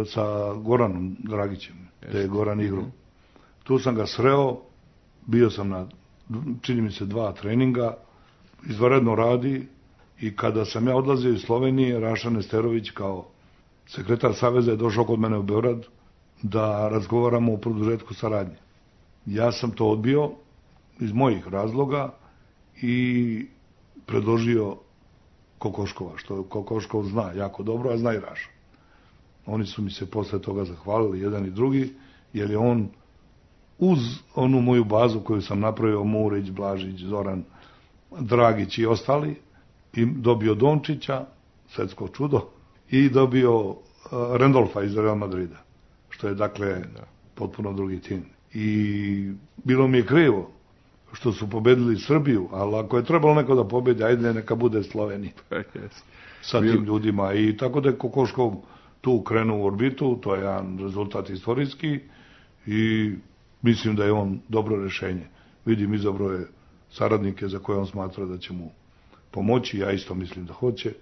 sa Goranom Dragićem, gde je Goran igrao. Tu sam ga sreo, bio sam na, čini mi se, 2 treninga, izvanredno radi i kada sam ja odlazio iz Slovenije, Raša Nesterović kao sekretar Saveza je došao kod mene u Beograd da razgovaramo o produžetku saradnje. Ja sam to odbio iz mojih razloga i predložio Kokoškova, što Kokoškov zna jako dobro, a zna i Raša. Oni su mi se posle toga zahvalili, jedan i drugi, jer je on uz onu moju bazu koju sam napravio, Murić, Blažić, Zoran, Dragić i ostali, i dobio Dončića, svetsko čudo, i dobio Randolfa iz Real Madrida, što je dakle potpuno drugi tim. I bilo mi je krivo što su pobedili Srbiju, ali ako je trebalo neko da pobedi, ajde neka bude Slovenija sa tim ljudima. I tako da je Kokoškov tu krenuo u orbitu, to je jedan rezultat istorijski i mislim da je on dobro rešenje. Vidim, izabrao je saradnike za koje on smatra da će mu pomoći, ja isto mislim da hoće.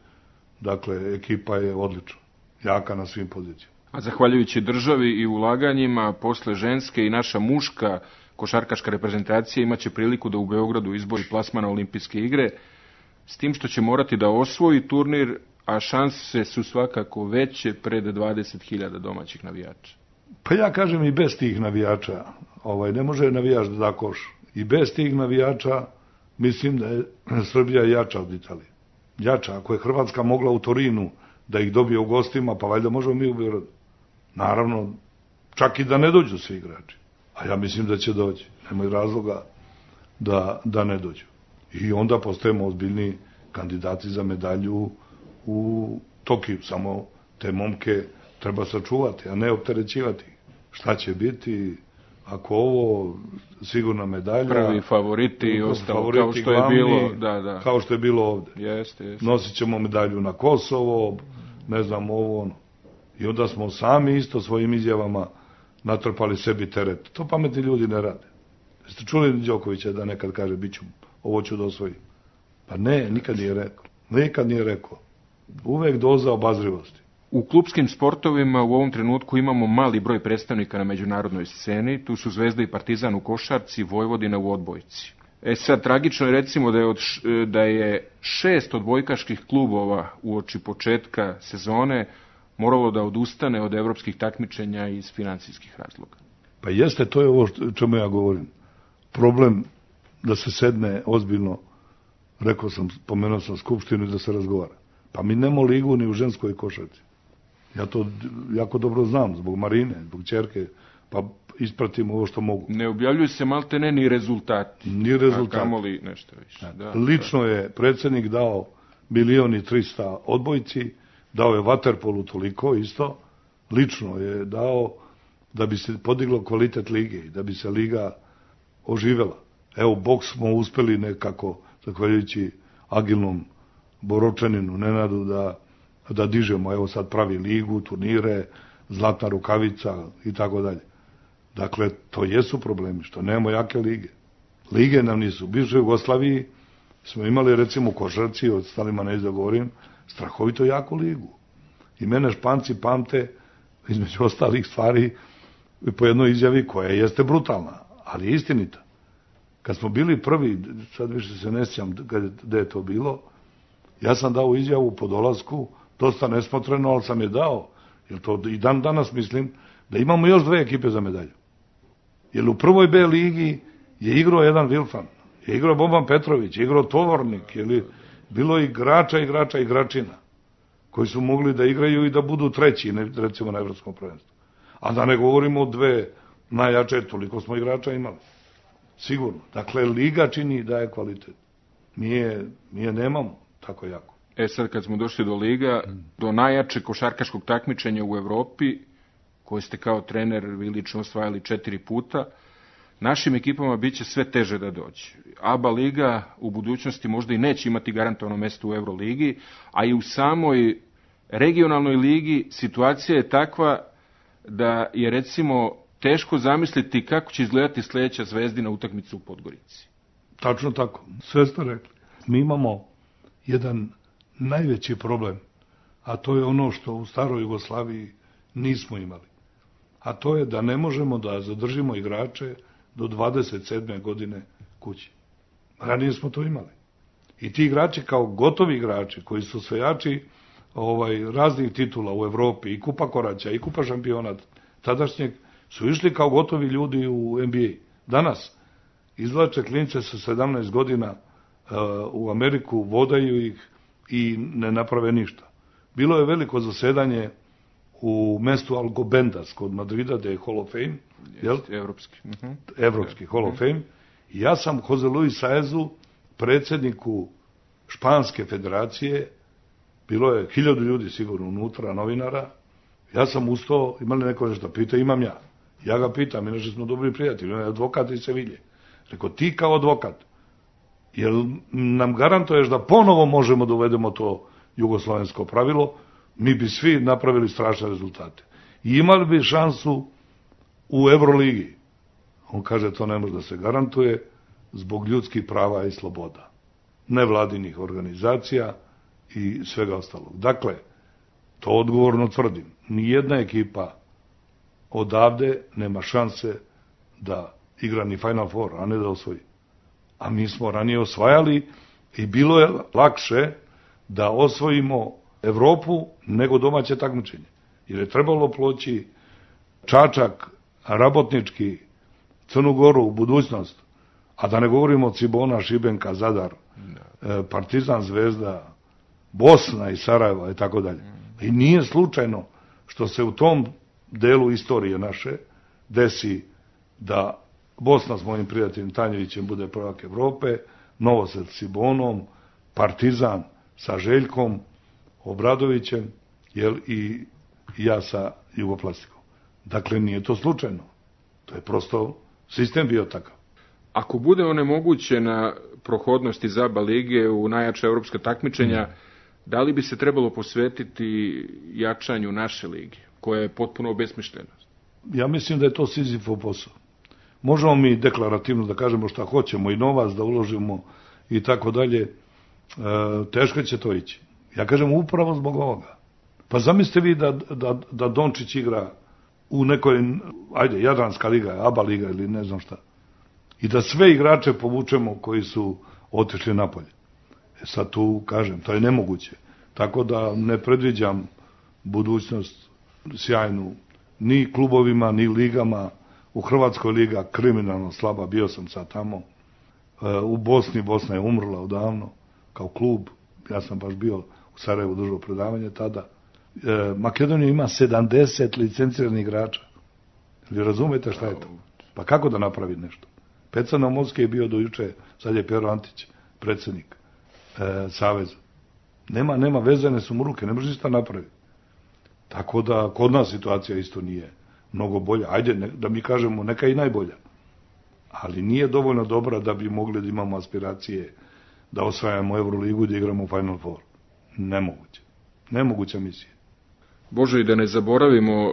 Dakle, ekipa je odlična, jaka na svim pozicijama. A zahvaljujući državi i ulaganjima, posle ženske i naša muška košarkaška reprezentacija imaće priliku da u Beogradu izbori plasman na olimpijske igre, s tim što će morati da osvoji turnir, a šanse su svakako veće pred 20.000 domaćih navijača. Pa ja kažem i bez tih navijača, ne može navijač da da koš. I bez tih navijača mislim da je Srbija jača od Italije. Jača, ako je Hrvatska mogla u Torinu da ih dobije u gostima, pa valjda možemo mi u Beogradu. Naravno, čak i da ne dođu svi igrači. A ja mislim da će doći. Nemoj razloga da ne dođu. I onda postajemo ozbiljni kandidati za medalju u Tokiju. Samo te momke treba sačuvati, a ne opterećivati. Šta će biti ako ovo sigurna medalja? Prvi favoriti i ostalo, kao što je bilo. Da. Kao što je bilo ovde. Jeste. Nosit ćemo medalju na Kosovo, ne znam ovo ono. I onda smo sami isto svojim izjavama natrpali sebi teret. To pametni ljudi ne rade. Jeste čuli Đokovića da nekad kaže ovo ću da osvojim? Pa ne, nikad nije rekao. Uvek doza obazrivosti. U klupskim sportovima u ovom trenutku imamo mali broj predstavnika na međunarodnoj sceni. Tu su Zvezda i Partizan u košarci, Vojvodina u odbojci. Sad, tragično je recimo da je 6 odbojkaških klubova uoči početka sezone moralo da odustane od evropskih takmičenja iz finansijskih razloga. Pa jeste, to je ovo čemu ja govorim. Problem da se sedne ozbiljno, pomenuo sam skupštinu i da se razgovara. Pa mi nemamo ligu ni u ženskoj košarci. Ja to jako dobro znam, zbog Marine, zbog ćerke, pa ispratim ovo što mogu. Ne objavljuju se maltene ni rezultati. A kamoli nešto više. Lično je predsjednik dao 1.300.000 odbojci, dao je vaterpolu toliko isto, lično je dao da bi se podiglo kvalitet lige i da bi se liga oživela. Evo, boks smo uspeli nekako, zahvaljujući agilnom Boročaninu Nenadu, da dižemo. Evo sad pravi ligu, turnire, zlatna rukavica i tako dalje. Dakle, to jesu problemi, što nemamo jake lige. Lige nam nisu. U bivšoj Jugoslaviji smo imali, recimo, u košarci, od stalima ne izgovorim, strahovito jaku ligu. I mene Španci pamte, između ostalih stvari, po jednoj izjavi koja jeste brutalna, ali je istinita. Kad smo bili prvi, sad više se ne sjećam gde je to bilo, ja sam dao izjavu po dolasku, dosta nesmotreno, ali sam je dao, jer to i dan danas mislim, da imamo još 2 ekipe za medalju. Jer u prvoj B ligi je igrao jedan Vilfan, Je igrao Boban Petrović, je igrao Tovornik, bilo igrača, igračina, koji su mogli da igraju i da budu treći, recimo na evropskom prvenstvu. A da ne govorimo o dve najjače, toliko smo igrača imali. Sigurno. Dakle, liga čini da je kvalitet. Mi je nemamo tako jako. Sad kad smo došli do liga, do najjačeg košarkaškog takmičenja u Evropi, koje ste kao trener vi lično osvajali 4 puta, našim ekipama biće sve teže da dođe. ABA liga u budućnosti možda i neće imati garantovano mesto u Euroligi, a i u samoj regionalnoj ligi situacija je takva da je recimo teško zamisliti kako će izgledati sljedeća Zvezdina utakmica u Podgorici. Tačno tako, sve ste rekli. Mi imamo jedan najveći problem, a to je ono što u staroj Jugoslaviji nismo imali. A to je da ne možemo da zadržimo igrače do 27. godine kući. Ranije smo to imali. I ti igrači kao gotovi igrači, koji su osvajači raznih titula u Evropi, i Kupa Koraća, i Kupa šampiona tadašnjeg, su išli kao gotovi ljudi u NBA. Danas izvlače klince sa 17 godina u Ameriku, vodaju ih i ne naprave ništa. Bilo je veliko zasedanje u mestu Alcobendas kod Madrida, da je Hall of Fame, evropski Hall of Fame. I ja sam Jose Luis Saezu, predsjedniku Španske federacije, bilo je 1000 ljudi sigurno unutra, novinara, ja sam ustao, imali neko nešto pita, imam ja. Ja ga pitam, inače smo dobri prijatelji, on je advokat iz Sevilje. Rekao, ti kao advokat, jel nam garantuješ da ponovo možemo da uvedemo to jugoslovensko pravilo, mi bi svi napravili strašne rezultate. I imali bi šansu u Euroligi. On kaže, to ne može da se garantuje zbog ljudskih prava i sloboda, nevladinih organizacija i svega ostalog. Dakle, to odgovorno tvrdim, nijedna ekipa odavde nema šanse da igra ni Final Four, a ne da osvoji. A mi smo ranije osvajali i bilo je lakše da osvojimo Evropu nego domaće takmičenje. Jer je trebalo ploći Čačak, Rabotnički, Crnu Goru u budućnost, a da ne govorimo od Cibona, Šibenka, Zadar, Partizan, Zvezda, Bosna i Sarajeva i tako dalje. I nije slučajno što se u tom delu istorije naše desi da Bosna s mojim prijateljem Tanjevićem bude prvak Evrope, Novosad s Cibonom, Partizan sa Željkom Obradovićem, i ja sa Jugoplastikom. Dakle, nije to slučajno. To je prosto sistem bio takav. Ako bude onemogućena prohodnost iz ABA lige u najjača evropska takmičenja, da li bi se trebalo posvetiti jačanju naše lige, koja je potpuno obesmišljena? Ja mislim da je to Sizifov posao. Možemo mi deklarativno da kažemo šta hoćemo i novac da uložimo i tako dalje. Teško će to ići. Ja kažem upravo zbog ovoga. Pa zamislite vi da Dončić igra u nekoj, Jadranska liga, ABA liga ili ne znam šta. I da sve igrače povučemo koji su otišli napolje. Sad tu kažem, to je nemoguće. Tako da ne predviđam budućnost sjajnu ni klubovima, ni ligama. U Hrvatskoj liga kriminalno slaba, bio sam sad tamo. U Bosni, Bosna je umrla odavno kao klub. Ja sam baš bio u Sarajevu, držao predavanje tada. Makedonija ima 70 licenciranih igrača. Vi razumete šta je to? Pa kako da napravi nešto? Peca Naumovski je bio do juče, sad je Pero Antić, predsjednik Saveza. Nema, vezane su mu ruke, ne može ništa napraviti. Tako da kod nas situacija isto nije mnogo bolja. Ajde, da mi kažemo, neka i najbolja. Ali nije dovoljno dobra da bi mogli da imamo aspiracije da osvajamo Euroligu i da igramo u Final Four. Nemoguće. Nemoguća misija. Bože, i da ne zaboravimo,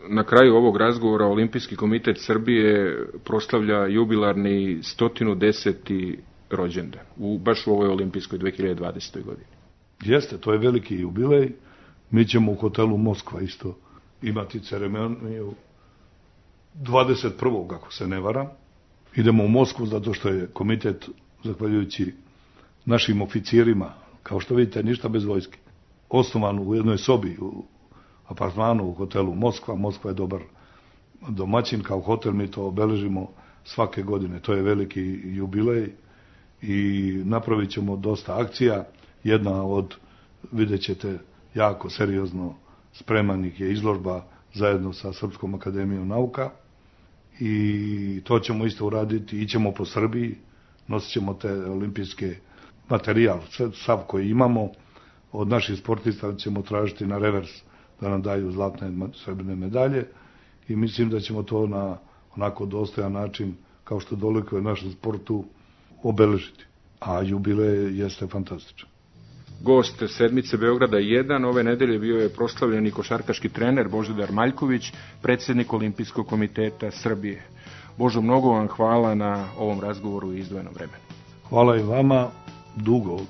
na kraju ovog razgovora Olimpijski komitet Srbije proslavlja jubilarni 110. rođendan, baš u ovoj olimpijskoj 2020. godini. Jeste, to je veliki jubilej. Mi ćemo u hotelu Moskva isto imati ceremoniju 21. ako se ne varam. Idemo u Moskvu zato što je komitet, zahvaljujući našim oficirima, kao što vidite, ništa bez vojske, osnovan u jednoj sobi u apartmanu u hotelu Moskva. Moskva je dobar domaćin, kao hotel mi to obeležimo svake godine. To je veliki jubilej i napravit ćemo dosta akcija. Jedna od, vidjet ćete, jako seriozno spremanih je izložba zajedno sa Srpskom akademijom nauka i to ćemo isto uraditi, ićemo po Srbiji, nosit ćemo te olimpijske materijal, sav koji imamo, od naših sportista ćemo tražiti na revers da nam daju zlatne srebrne medalje i mislim da ćemo to na onako dostojan način, kao što dolikuje našem sportu, obeležiti. A jubilej jeste fantastičan. Gost sedmice Beograda 1 ove nedelje bio je proslavljeni košarkaški trener Božidar Maljković, predsjednik Olimpijskog komiteta Srbije. Božo, mnogo vam hvala na ovom razgovoru i izdvojenom vremenu. Hvala i vama,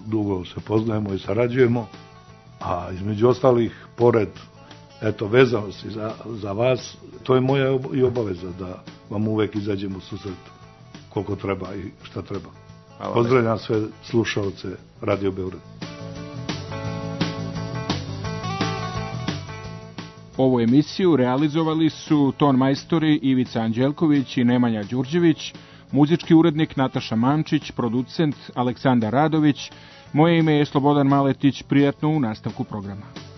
dugo se poznajemo i sarađujemo, a između ostalih, pored vezanosti za vas, to je moja i obaveza da vam uvek izađemo u susret koliko treba i šta treba. Pozdravljam sve slušaoce Radio Beograd. Ovu emisiju realizovali su ton majstori Ivica Anđelković i Nemanja Đurđević, muzički urednik Nataša Mančić, producent Aleksandar Radović. Moje ime je Slobodan Maletić, prijatno u nastavku programa.